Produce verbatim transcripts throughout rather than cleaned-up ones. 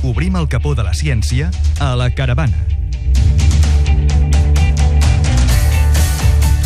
Obrim el capó de la ciència a la caravana.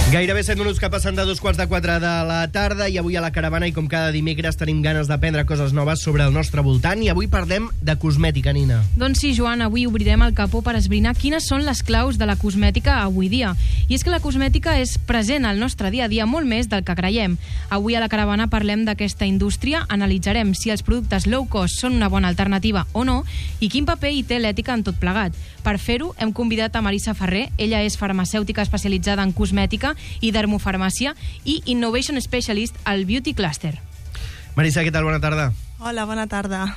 Gairebé set minuts que passen de dos quarts de quatre de la tarda i avui a la caravana, i com cada dimecres, tenim ganes d'aprendre coses noves sobre el nostre voltant, i avui parlem de cosmètica, Nina. Doncs sí, Joan, avui obrirem el capó per esbrinar quines són les claus de la cosmètica avui dia. I és que la cosmètica és present al nostre dia a dia molt més del que creiem. Avui a la caravana parlem d'aquesta indústria, analitzarem si els productes low cost són una bona alternativa o no i quin paper hi té l'ètica en tot plegat. Per fer-ho, hem convidat a Marisa Ferrer. Ella és farmacèutica especialitzada en cosmètica i dermofarmàcia i Innovation Specialist al Beauty Cluster. Marisa, què tal? Bona tarda. Hola, bona tarda.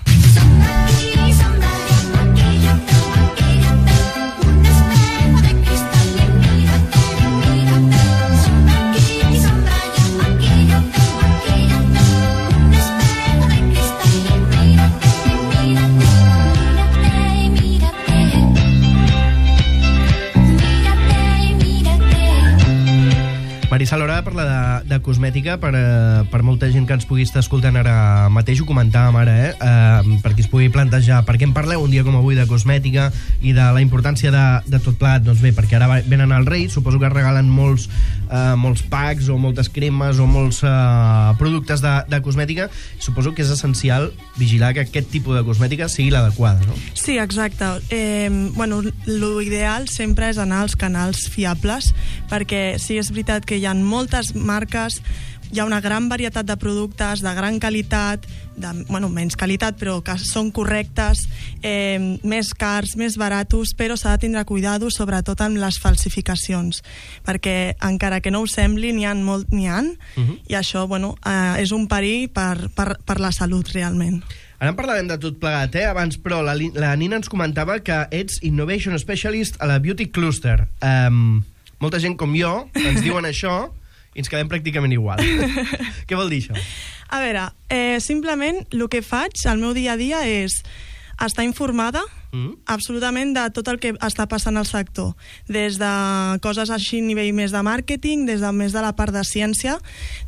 Marisa, a l'hora de parlar de, de cosmètica, per, uh, per molta gent que ens pugui estar escoltant ara mateix, ho comentàvem ara, eh? Uh, per qui es pugui plantejar per què en parleu un dia com avui de cosmètica i de la importància de, de tot plegat. Doncs bé, perquè ara venen al Reis, suposo que es regalen molts, uh, molts packs o moltes cremes o molts uh, productes de, de cosmètica. Suposo que és essencial vigilar que aquest tipus de cosmètica sigui l'adequada, no? Sí, exacte. Eh, bueno, l'ideal sempre és anar als canals fiables, perquè sí, és veritat que hi ha moltes marques, hi ha una gran varietat de productes de gran qualitat, de, bueno, menys qualitat, però que són correctes, eh, més cars, més baratos, però s'ha de tindre cuidado, sobretot amb les falsificacions, perquè encara que no ho sembli, n'hi ha molt, n'hi ha, uh-huh. i això, bueno, eh, és un perill per, per, per la salut, realment. Ara en parlarem de tot plegat, eh? Abans, però, la, la Nina ens comentava que ets Innovation Specialist a la Beauty Cluster. Um, molta gent com jo ens diuen això i ens quedem pràcticament igual. Què vol dir això? A veure, eh, simplement el que faig al meu dia a dia és estar informada mm. absolutament de tot el que està passant al sector, des de coses així a nivell més de màrqueting, des de més de la part de ciència,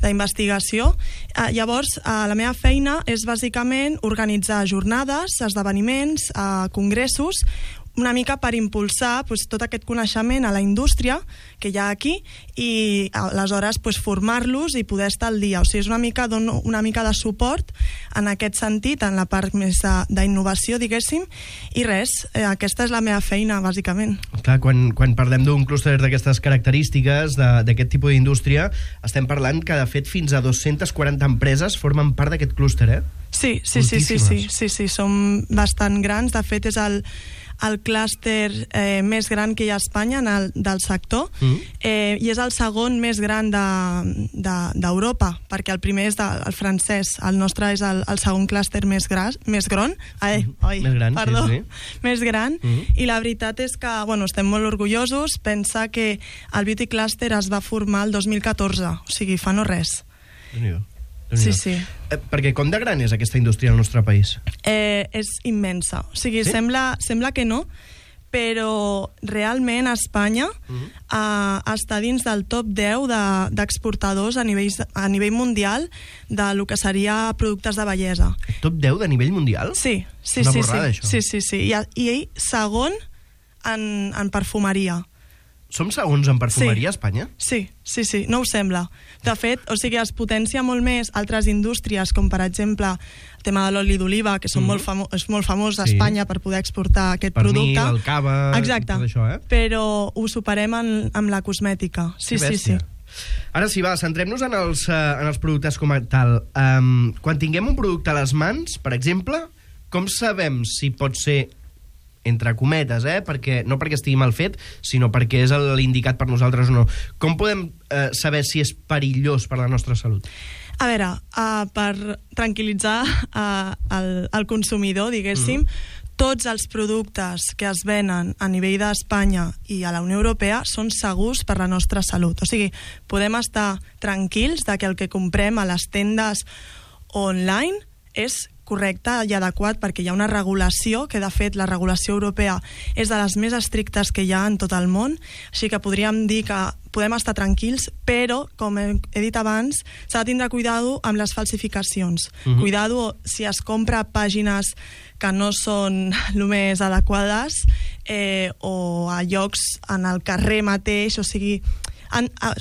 d'investigació. Eh, llavors, eh, la meva feina és bàsicament organitzar jornades, esdeveniments, eh, congressos, una mica per impulsar pues, tot aquest coneixement a la indústria que hi ha aquí i aleshores pues, formar-los i poder estar al dia. O sigui, és una mica, dono una mica de suport en aquest sentit, en la part més d'innovació, diguéssim, i res, eh, aquesta és la meva feina, bàsicament. Clar, quan, quan parlem d'un clúster d'aquestes característiques, d'aquest tipus d'indústria, estem parlant que, de fet, fins a dues-centes quaranta empreses formen part d'aquest clúster, eh? Sí, sí, sí, sí, sí, sí, sí, som bastant grans. De fet, és el el clúster eh, més gran que hi ha a Espanya en el, del sector, mm. eh, i és el segon més gran d'Europa, de, de, perquè el primer és de, el francès, el nostre és el, el segon clúster més, gras, més gran, ai, oi, més gran, perdó, sí, sí. més gran, mm. i la veritat és que bueno, estem molt orgullosos. Pensa que el Beauty Cluster es va formar el dos mil catorze, o sigui, fa no res. Déu-n'hi-do. Sí, sí. Eh, perquè com de gran és aquesta indústria al nostre país? Eh, és immensa. O sigui, sí? sembla, sembla que no, però realment Espanya uh-huh. eh, està dins del top deu d'exportadors de, a, nivell, a nivell mundial de lo que seria productes de bellesa. Top deu de nivell mundial? Sí, sí, una sí. borrada, sí, això. sí, sí, sí. I, i segon en, en perfumeria. Som segons en perfumeria sí. a Espanya? Sí, sí, sí, no ho sembla. De fet, o sigui, es potencia molt més altres indústries, com per exemple el tema de l'oli d'oliva, que són mm-hmm. molt famo és molt famós a Espanya sí. per poder exportar aquest Pernil, producte. el cava, exacte. Tot això, eh? Però ho superem en, amb la cosmètica. Sí, sí, sí. Ara sí, va, centrem-nos en, els, uh, en els productes com a tal. Um, quan tinguem un producte a les mans, per exemple, com sabem si pot ser entre cometes, eh? Perquè, no perquè estigui mal fet, sinó perquè és l'indicat per nosaltres o no. Com podem eh, saber si és perillós per la nostra salut? A veure, uh, per tranquil·litzar uh, el, el consumidor, diguéssim, mm-hmm. tots els productes que es venen a nivell d'Espanya i a la Unió Europea són segurs per la nostra salut. O sigui, podem estar tranquils de que el que comprem a les tendes online és correcte i adequat, perquè hi ha una regulació, que de fet la regulació europea és de les més estrictes que hi ha en tot el món, així que podríem dir que podem estar tranquils, però, com he, he dit abans, s'ha de tindre cuidado amb les falsificacions. Uh-huh. Cuidado si es compra pàgines que no són el més adequades eh, o a llocs en el carrer mateix, o sigui...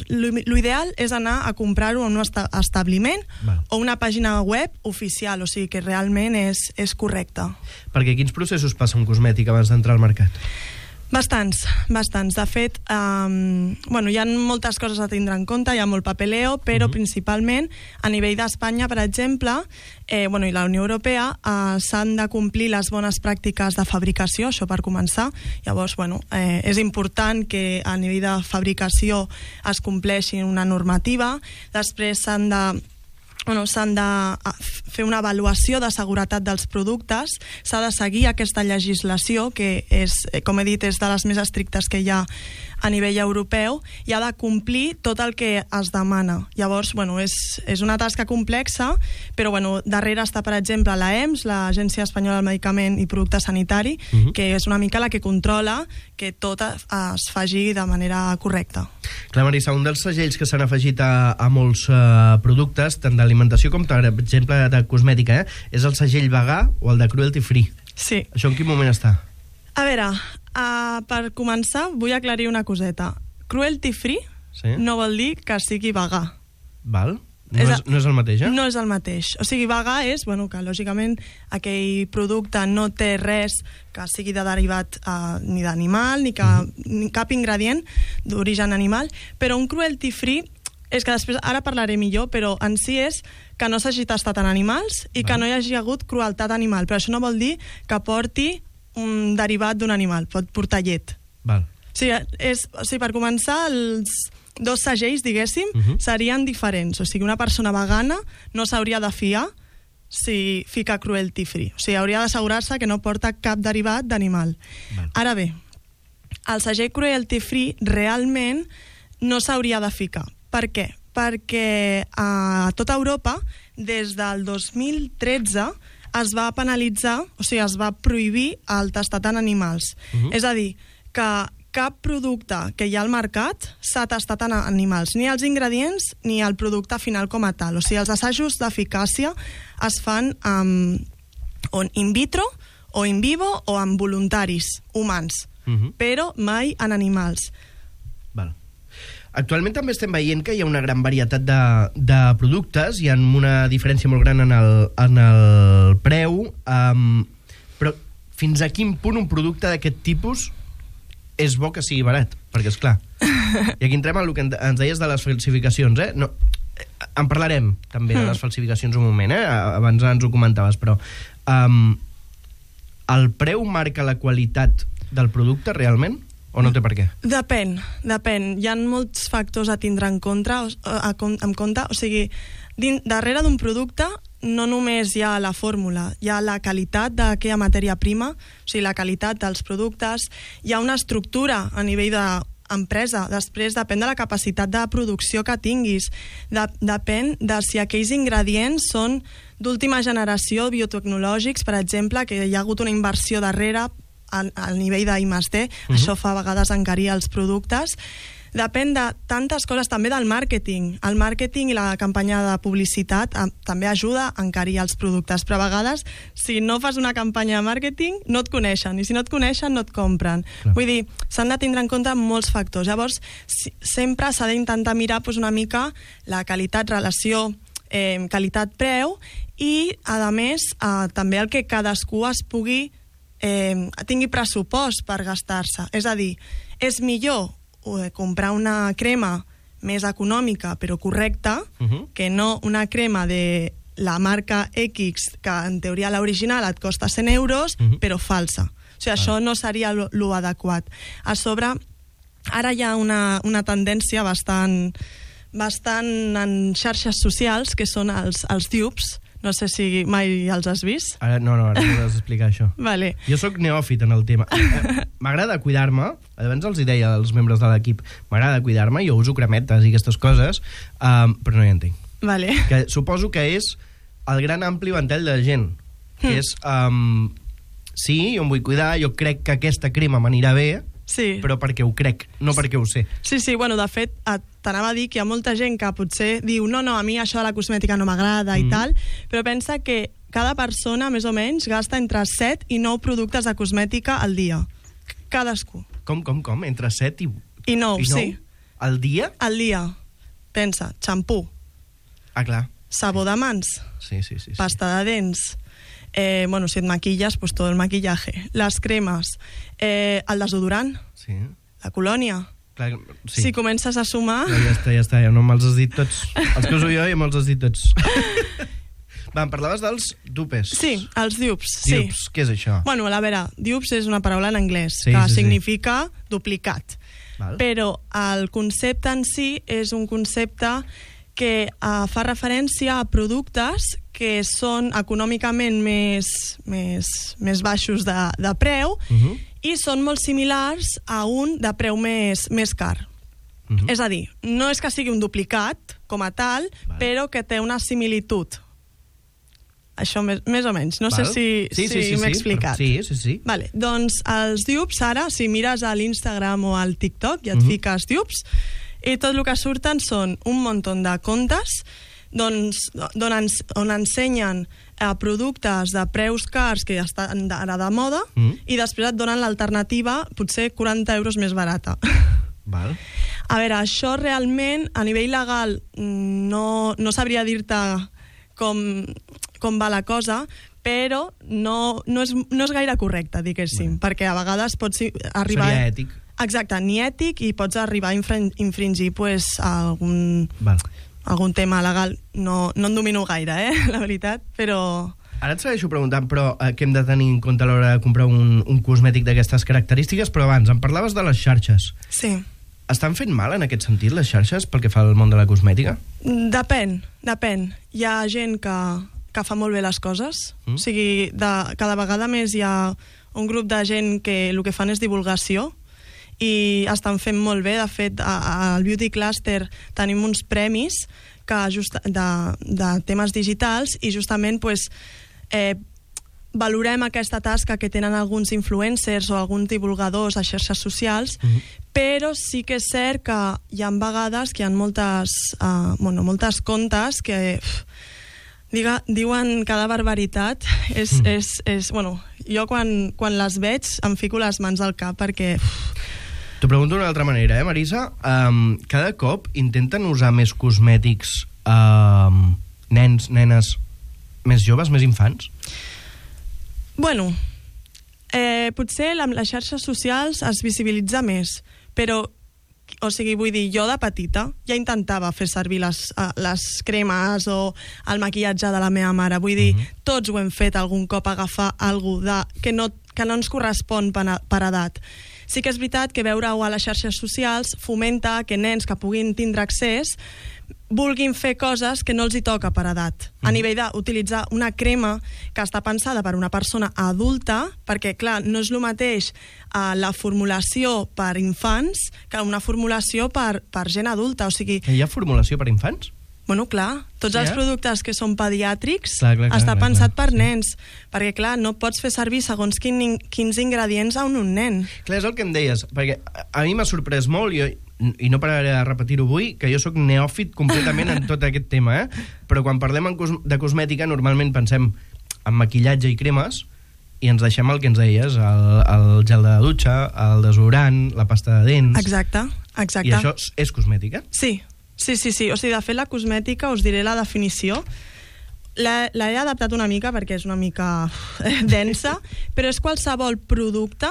L'ideal és anar a comprar-ho en un establiment Val. o una pàgina web oficial, o sigui que realment és, és correcte. Perquè quins processos passa un cosmètic abans d'entrar al mercat? Bastants, bastants. De fet, um, bueno, hi ha moltes coses a tindre en compte, hi ha molt papeleo, però uh-huh. principalment a nivell d'Espanya, per exemple, eh, bueno, i la Unió Europea, eh, s'han de complir les bones pràctiques de fabricació, això per començar. Llavors, bueno, eh, és important que a nivell de fabricació es compleixi una normativa. Després s'han de Bueno, s'han de fer una avaluació de seguretat dels productes, s'ha de seguir aquesta legislació, que és, com he dit, és de les més estrictes que hi ha a nivell europeu, i ha de complir tot el que es demana. Llavors, bueno, és, és una tasca complexa, però bueno, darrere està, per exemple, l'A E M S, l'Agència Espanyola del Medicament i Producte Sanitari, uh-huh. que és una mica la que controla que tot es faci de manera correcta. Clar, Marisa, un dels segells que s'han afegit a, a molts uh, productes, tant d'alimentació com, per exemple, de cosmètica, eh, és el segell vegà o el de cruelty free. Sí. Això en quin moment està? A veure, uh, per començar, vull aclarir una coseta. Cruelty free sí? no vol dir que sigui vegà. Val. No és, és, no és el mateix, eh? No és el mateix. O sigui, vegà és, bueno, que lògicament aquell producte no té res que sigui de derivat uh, ni d'animal, ni, que, mm-hmm. ni cap ingredient d'origen animal, però un cruelty free és que després, ara parlaré millor, però en si és que no s'hagi tastat en animals i Val. Que no hi hagi hagut crueltat animal, però això no vol dir que porti un derivat d'un animal, pot portar llet. Val. O sigui, és, o sigui, per començar, els dos segells, diguéssim, uh-huh. serien diferents. O sigui, una persona vegana no s'hauria de fiar si fica cruelty free. O sigui, hauria d'assegurar-se que no porta cap derivat d'animal. Val. Ara bé, el segell cruelty free realment no s'hauria de ficar. Per què? Perquè a tota Europa, des del dos mil tretze, es va penalitzar, o sigui, es va prohibir el tastat en animals. Uh-huh. És a dir, que cap producte que hi ha al mercat s'ha tastat en animals, ni els ingredients ni el producte final com a tal. O sigui, els assajos d'eficàcia es fan um, in vitro o in vivo o amb voluntaris humans, uh-huh. però mai en animals. Val. Actualment també estem veient que hi ha una gran varietat de, de productes, hi ha una diferència molt gran en el, en el preu, um, però fins a quin punt un producte d'aquest tipus és bo que sigui barat? Perquè, esclar, i aquí entrem en el que ens deies de les falsificacions, eh? No, en parlarem també de les falsificacions un moment, eh? Abans ens ho comentaves, però um, el preu marca la qualitat del producte realment? O no té per què? Depèn, depèn. Hi ha molts factors a tindre en compte, a, a, en compte. O sigui, din, darrere d'un producte no només hi ha la fórmula, hi ha la qualitat d'aquella matèria prima, o sigui, la qualitat dels productes, hi ha una estructura a nivell d'empresa, després depèn de la capacitat de producció que tinguis, de, depèn de si aquells ingredients són d'última generació biotecnològics, per exemple, que hi ha hagut una inversió darrere al, al nivell d'I més D, uh-huh. això fa a vegades encarir els productes. Depèn de tantes coses, també del màrqueting. El màrqueting i la campanya de publicitat eh, també ajuda a encarir els productes, però a vegades, si no fas una campanya de màrqueting, no et coneixen, i si no et coneixen, no et compren. Clar. Vull dir, s'han de tindre en compte molts factors. Llavors, si, sempre s'ha d'intentar mirar pues, una mica la qualitat-relació, eh, qualitat-preu, i, a més, eh, també el que cadascú es pugui Eh, tingui pressupost per gastar-se. És a dir, és millor eh, comprar una crema més econòmica però correcta uh-huh. que no una crema de la marca X que en teoria l'original et costa cent euros uh-huh. però falsa. O sigui, ah. això no seria lo, lo adequat. A sobre, ara hi ha una, una tendència bastant, bastant en xarxes socials que són els, els dupes. No sé si mai els has vist. Ara, no, no, ara m'ho has d'explicar, això. Vale. Jo sóc neòfit en el tema. M'agrada cuidar-me, abans els hi deia als membres de l'equip, m'agrada cuidar-me, jo uso cremetes i aquestes coses, um, però no hi entenc. Vale. Que suposo que és el gran ampli ventall de gent. que és... Um, sí, jo em vull cuidar, jo crec que aquesta crema m'anirà bé, Sí. però perquè ho crec, no perquè ho sé. Sí, sí, bueno, de fet, et- t'anava a dir que hi ha molta gent que potser diu no, no, a mi això de la cosmètica no m'agrada i Mm. tal, però pensa que cada persona, més o menys, gasta entre set i nou productes de cosmètica al dia. Cadascú. Com, com, com? Entre set i... I nou, i nou? sí. Al dia? Al dia. Pensa, xampú, Ah, clar. sabó de mans, Sí, sí, sí. sí. pasta de dents, eh, bueno, si et maquilles, pues todo el maquillaje, les cremes, eh, el desodorant, Sí. la colònia. Clar, sí. Si comences a sumar... Ja, ja està, ja està, ja no me'ls has dit tots. Els que uso jo ja me'ls has dit tots. Va, em parlaves dels dupes. Sí, els dupes, sí. Dupes, què és això? Bueno, a veure, dupes és una paraula en anglès, Sí, que sí, sí. significa duplicat. Val. Però el concepte en si és un concepte que uh, fa referència a productes que són econòmicament més, més, més baixos de, de preu Uh -huh. i són molt similars a un de preu més, més car. Uh -huh. És a dir, no és que sigui un duplicat com a tal, Val. però que té una similitud. Això més, més o menys. No Val. sé si, sí, sí, si sí, m'he sí, explicat. Sí, sí, sí. Vale, doncs els dupes ara, si mires a l'Instagram o al TikTok i et Mhm. fiques dupes, i tot el que surten són un munt de comptes doncs, on, ens, on ensenyen eh, productes de preus cars que estan ara de moda Mhm. i després et donen l'alternativa potser quaranta euros més barata. Val. A veure, això realment a nivell legal no, no sabria dir-te com, com va la cosa, però no, no, és, no és gaire correcte, diguéssim, perquè a vegades pots arribar... Seria ètic. Exacte, ni ètic, i pots arribar a infring, infringir pues, algun, Val. algun tema legal. No, no en domino gaire, eh, la veritat, però... Ara et segueixo preguntant, però eh, què hem de tenir en compte a l'hora de comprar un, un cosmètic d'aquestes característiques? Però abans, em parlaves de les xarxes. Sí. Estan fent mal en aquest sentit, les xarxes, pel que fa al món de la cosmètica? Depèn, depèn. Hi ha gent que, que fa molt bé les coses. Mm. O sigui, de, cada vegada més hi ha un grup de gent que el que fan és divulgació i estan fent molt bé. De fet, a- al Beauty Cluster tenim uns premis que just, de, de temes digitals i justament pues, eh, valorem aquesta tasca que tenen alguns influencers o alguns divulgadors a xarxes socials, Mhm. però sí que és cert que hi ha vegades que hi ha moltes, uh, bueno, moltes comptes que uf, diga, diuen cada barbaritat. És, Mm. és, és, bueno, jo quan, quan les veig em fico les mans al cap perquè... Uf, T'ho pregunto d'una altra manera, eh, Marisa? Um, cada cop intenten usar més cosmètics um, nens, nenes més joves, més infants? Bueno, eh, potser amb les xarxes socials es visibilitza més, però, o sigui, vull dir, jo de petita ja intentava fer servir les, eh, les cremes o el maquillatge de la meva mare. Vull dir, Mhm. tots ho hem fet algun cop, agafar alguna de, que, no, que no ens correspon per, a- per edat. Sí que és veritat que veure-ho a les xarxes socials fomenta que nens que puguin tindre accés vulguin fer coses que no els hi toca per edat. A Mhm. nivell d'utilitzar una crema que està pensada per una persona adulta, perquè, clar, no és el mateix uh, la formulació per infants que una formulació per, per gent adulta. O sigui, Hi ha formulació per infants? bueno, clar, tots Sí, els eh? productes que són pediàtrics Clar, clar, clar, està clar, pensat clar, per sí. nens, perquè, clar, no pots fer servir segons quin, quins ingredients a un, un nen. Clar, és el que em deies, perquè a- a mi m'ha sorprès molt, jo, i no pararé de repetir-ho avui, que jo sóc neòfit completament en tot aquest tema, eh? Però quan parlem en cos de cosmètica, normalment pensem en maquillatge i cremes, i ens deixem el que ens deies, el, el gel de dutxa, el desodorant, la pasta de dents... Exacte, exacte. I això és, és cosmètica? Sí, sí, sí, sí. O sigui, de fet, la cosmètica, us diré la definició. La- L'he adaptat una mica perquè és una mica eh, densa, però és qualsevol producte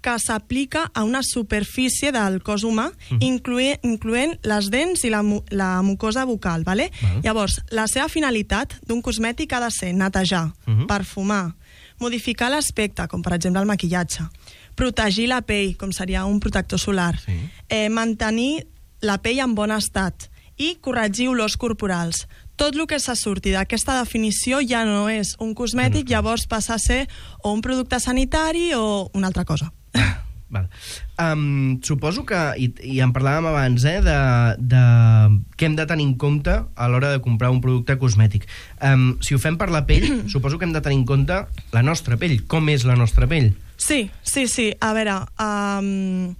que s'aplica a una superfície del cos humà, Mhm. incloent, incloent les dents i la, mu la mucosa bucal. Vale? Val. Llavors, la seva finalitat d'un cosmètic ha de ser netejar, Mhm. perfumar, modificar l'aspecte, com per exemple el maquillatge, protegir la pell, com seria un protector solar, Sí. eh, mantenir la pell en bon estat i corregir olors corporals. Tot el que se surti d'aquesta definició ja no és un cosmètic, llavors passa a ser o un producte sanitari o una altra cosa. Val. Um, suposo que, i, i en parlàvem abans, eh, de, de què hem de tenir en compte a l'hora de comprar un producte cosmètic. Um, si ho fem per la pell, suposo que hem de tenir en compte la nostra pell. Com és la nostra pell? Sí, sí, sí. A veure, um,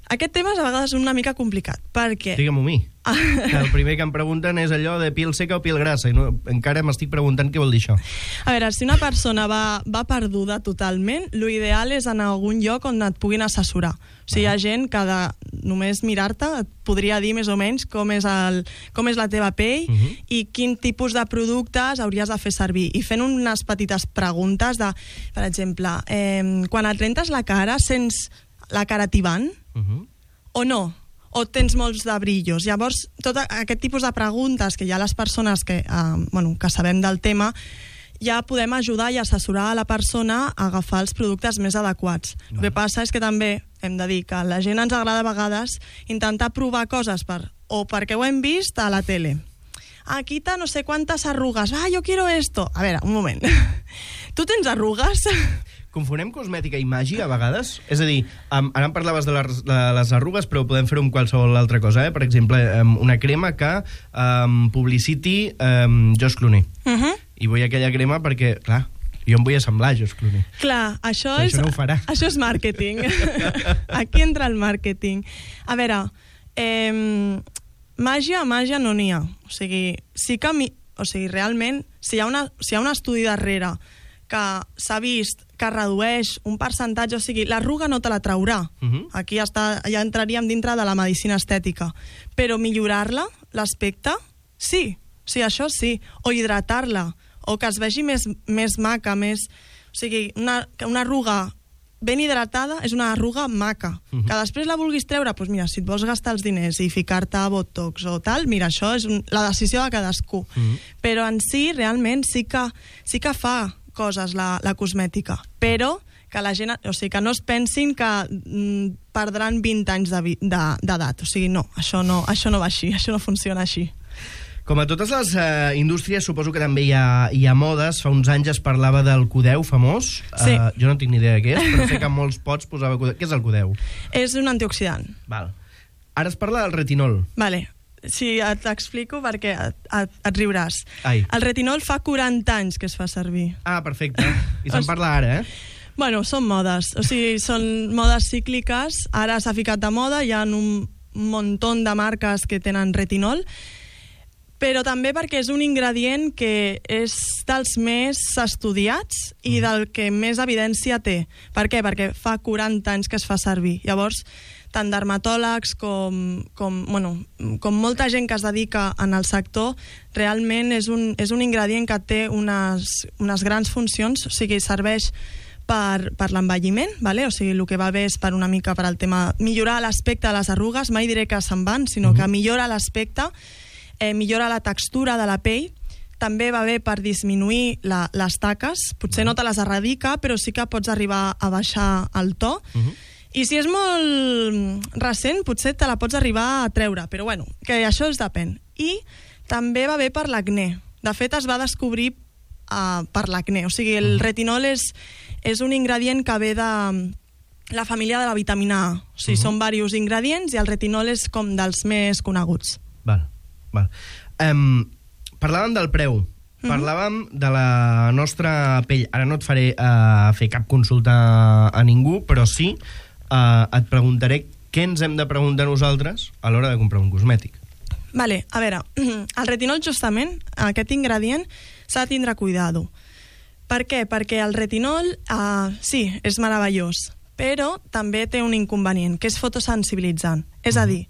aquest tema és a vegades una mica complicat, perquè... Digue-m'ho a mi. Que el primer que em pregunten és allò de pil seca o pil grassa, i no, encara m'estic preguntant què vol dir això. A veure, si una persona va, va perduda totalment, l'ideal és anar a algun lloc on et puguin assessorar. O sigui, hi ha gent que de només mirar-te et podria dir més o menys com és, el, com és la teva pell uh-huh. i quin tipus de productes hauries de fer servir. I fent unes petites preguntes de, per exemple, eh, quan et rentes la cara, sents la cara tibant uh-huh. o no? O tens molts de brillos. Llavors, tot aquest tipus de preguntes que hi ha les persones que, eh, bueno, que sabem del tema, ja podem ajudar i assessorar a la persona a agafar els productes més adequats. No. El que passa és que també hem de dir que a la gent ens agrada a vegades intentar provar coses per, o perquè ho hem vist a la tele. Ah, quita no sé quantes arrugues. Ah, yo quiero esto. A veure, un moment. Tu tens arrugues? Confonem cosmètica i màgia a vegades? És a dir, um, ara em parlaves de les, de les arrugues, però podem fer-ho amb qualsevol altra cosa, eh? Per exemple, um, una crema que um, publiciti um, George Clooney. Uh -huh. I vull aquella crema perquè, clar, jo em vull assemblar a George Clooney. Clar, això però és... Això no ho farà. Això és màrqueting. Aquí entra el màrqueting. A veure, eh, màgia, màgia no n'hi ha. O sigui, sí que... Mi... O sigui, realment, si hi ha, una, si hi ha un estudi darrere que s'ha vist que redueix un percentatge, o sigui, l'arruga no te la traurà. Uh-huh. Aquí està, ja entraríem dintre de la medicina estètica. Però millorar-la, l'aspecte, sí. Sí, això sí. O hidratar-la, o que es vegi més, més maca, més... O sigui, una, una arruga ben hidratada és una arruga maca. Uh-huh. Que després la vulguis treure, doncs mira, si et vols gastar els diners i ficar-te a botox o tal, mira, això és un, la decisió de cadascú. Uh-huh. Però en si, realment, sí que, sí que fa coses la, la cosmètica, però que la gent, o sigui, que no es pensin que mm, perdran vint anys d'edat. De, de, o sigui, no, això no, això no va així, això no funciona així. Com a totes les uh, indústries, suposo que també hi ha, hi ha modes. Fa uns anys es parlava del codeu famós. Sí. Uh, jo no tinc ni idea de què és, però sé que en molts pots posava codeu. Què és el codeu? És un antioxidant. Val. Ara es parla del retinol. Vale. Sí, t'explico perquè et, et, et riuràs. Ai. El retinol fa quaranta anys que es fa servir. Ah, perfecte. I se'n parla ara, eh? Bueno, són modes. O sigui, són modes cícliques. Ara s'ha ficat de moda, hi ha un muntó de marques que tenen retinol, però també perquè és un ingredient que és dels més estudiats i del que més evidència té. Per què? Perquè fa quaranta anys que es fa servir. Llavors, tant dermatòlegs com, com, bueno, com molta gent que es dedica en el sector, realment és un, és un ingredient que té unes, unes grans funcions, o sigui, serveix per, per l'envelliment, vale? O sigui, el que va bé és per una mica per al tema millorar l'aspecte de les arrugues, mai diré que se'n van, sinó que millora l'aspecte, eh, millora la textura de la pell, també va bé per disminuir la, les taques, potser no te les erradica, però sí que pots arribar a baixar el to, uh-huh. I si és molt recent, potser te la pots arribar a treure, però bueno, que això es depèn. I també va bé per l'acné. De fet, es va descobrir uh, per l'acné. O sigui, el retinol és, és un ingredient que ve de la família de la vitamina A. O sigui, uh-huh. Són diversos ingredients i el retinol és com dels més coneguts. Val, val. Um, parlàvem del preu. Parlàvem de la nostra pell. Ara no et faré uh, fer cap consulta a ningú, però sí Uh, et preguntaré què ens hem de preguntar nosaltres a l'hora de comprar un cosmètic. Vale, a veure, el retinol justament, aquest ingredient, s'ha de tindre cuidado. Per què? Perquè el retinol, uh, sí, és meravellós, però també té un inconvenient, que és fotosensibilitzant. És a dir,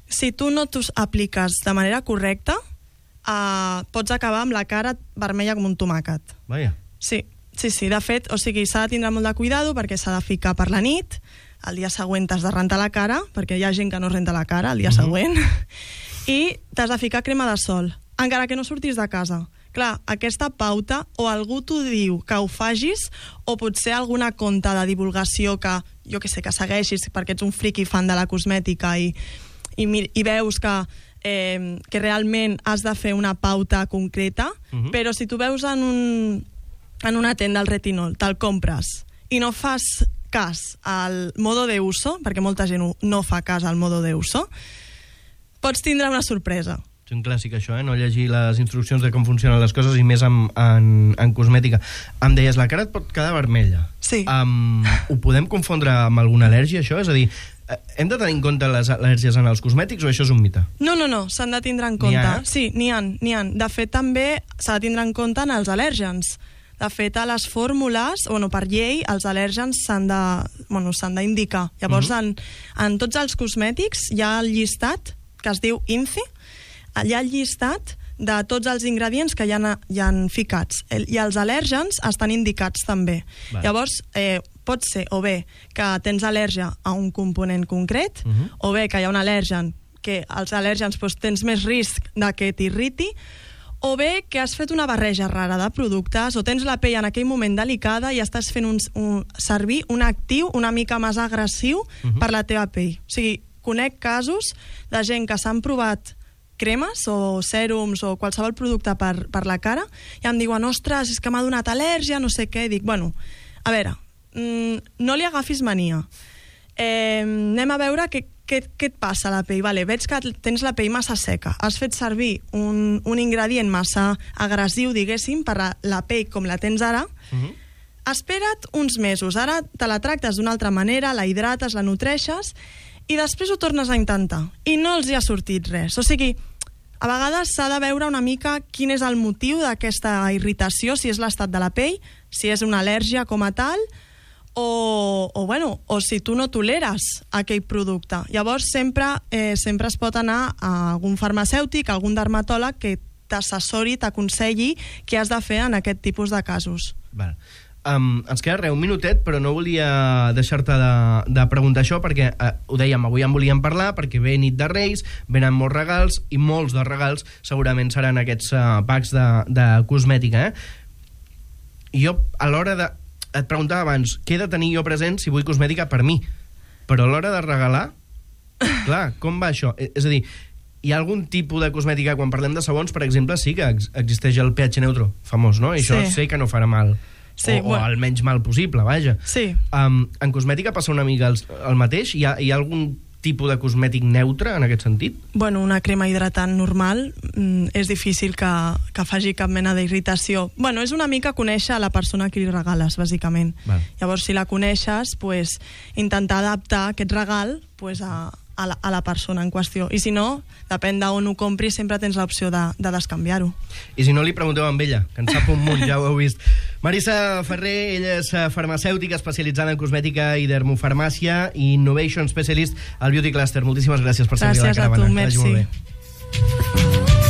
si tu no t'ho apliques de manera correcta, uh, pots acabar amb la cara vermella com un tomàquet. Vaja. Sí, sí, sí, de fet, o sigui, s'ha de tindre molt de cuidado perquè s'ha de ficar per la nit, el dia següent t'has de rentar la cara, perquè hi ha gent que no renta la cara el dia uh-huh. següent, i t'has de ficar crema de sol, encara que no surtis de casa. Clar, aquesta pauta, o algú t'ho diu que ho fagis, o potser alguna conta de divulgació que, jo que sé, que segueixis perquè ets un friki fan de la cosmètica i, i, i veus que, eh, que realment has de fer una pauta concreta, uh-huh. però si tu veus en un, en una tenda el retinol, te'l compres, i no fas cas al modo de uso, perquè molta gent no fa cas al modo de uso, pots tindre una sorpresa. És un clàssic, això, eh? No llegir les instruccions de com funcionen les coses i més en, en, en cosmètica. Em deies, la cara et pot quedar vermella. Sí. Um, ho podem confondre amb alguna al·lèrgia, això? És a dir, hem de tenir en compte les al·lèrgies en els cosmètics o això és un mite? No, no, no, s'han de tindre en compte. N'hi ha? Sí, n'hi ha, n'hi ha. De fet, també s'ha de tindre en compte en els al·lèrgens. De fet, a les fórmules, bueno, per llei, els al·lèrgens s'han de, bueno, s'han d'indicar. Llavors, uh-huh. en, en tots els cosmètics hi ha el llistat que es diu I N C I, hi ha el llistat de tots els ingredients que hi ha, hi ha ficats. El, I els al·lèrgens estan indicats també. Vale. Llavors, eh, pot ser o bé que tens al·lèrgia a un component concret, uh-huh. o bé que hi ha un al·lèrgen que els al·lèrgens doncs, tens més risc de que t'irriti, o bé que has fet una barreja rara de productes o tens la pell en aquell moment delicada i estàs fent un, un, servir un actiu una mica més agressiu uh-huh. per la teva pell. O sigui, conec casos de gent que s'han provat cremes o sèrums o qualsevol producte per, per la cara i em diuen, ostres, és que m'ha donat al·lèrgia, no sé què, i dic, bueno, a veure, mmm, no li agafis mania. Eh, anem a veure què, què, què et passa a la pell. Vale, veig que tens la pell massa seca, has fet servir un, un ingredient massa agressiu, diguéssim, per a la pell com la tens ara, uh-huh. espera't uns mesos, ara te la tractes d'una altra manera, la hidrates, la nutreixes, i després ho tornes a intentar i no els hi ha sortit res. O sigui, a vegades s'ha de veure una mica quin és el motiu d'aquesta irritació, si és l'estat de la pell, si és una al·lèrgia com a tal o, o, bueno, o si tu no toleres aquell producte. Llavors sempre, eh, sempre es pot anar a algun farmacèutic, a algun dermatòleg que t'assessori, t'aconselli què has de fer en aquest tipus de casos. Vale. Um, ens queda res, un minutet, però no volia deixar-te de, de preguntar això perquè, uh, ho dèiem, avui en volíem parlar perquè ve nit de Reis, venen molts regals i molts dels regals segurament seran aquests uh, packs de, de cosmètica, eh? I jo, a l'hora de... Et preguntava abans, què he de tenir jo present si vull cosmètica per mi? Però a l'hora de regalar, clar, com va això? És a dir, hi ha algun tipus de cosmètica, quan parlem de sabons, per exemple, sí que ex existeix el pH neutro, famós, no? I això sí. Sé que no farà mal. Sí, o, bueno. o el menys mal possible, vaja. Sí. Um, en cosmètica passa una mica el, el mateix? Hi ha, hi ha algun tipus de cosmètic neutre en aquest sentit? Bueno, una crema hidratant normal mm, és difícil que, que faci cap mena d'irritació. Bueno, és una mica conèixer a la persona que li regales, bàsicament. Val. Llavors, si la coneixes, pues, intentar adaptar aquest regal pues, a, a, la, a la persona en qüestió. I si no, depèn d'on ho compris, sempre tens l'opció de, de descanviar-ho. I si no, li pregunteu amb ella, que en sap un munt, ja ho heu vist. Marisa Ferrer, ella és farmacèutica especialitzada en cosmètica i dermofarmàcia i Innovation Specialist al Beauty Cluster. Moltíssimes gràcies per servir a la caravana. Gràcies a tu, merci.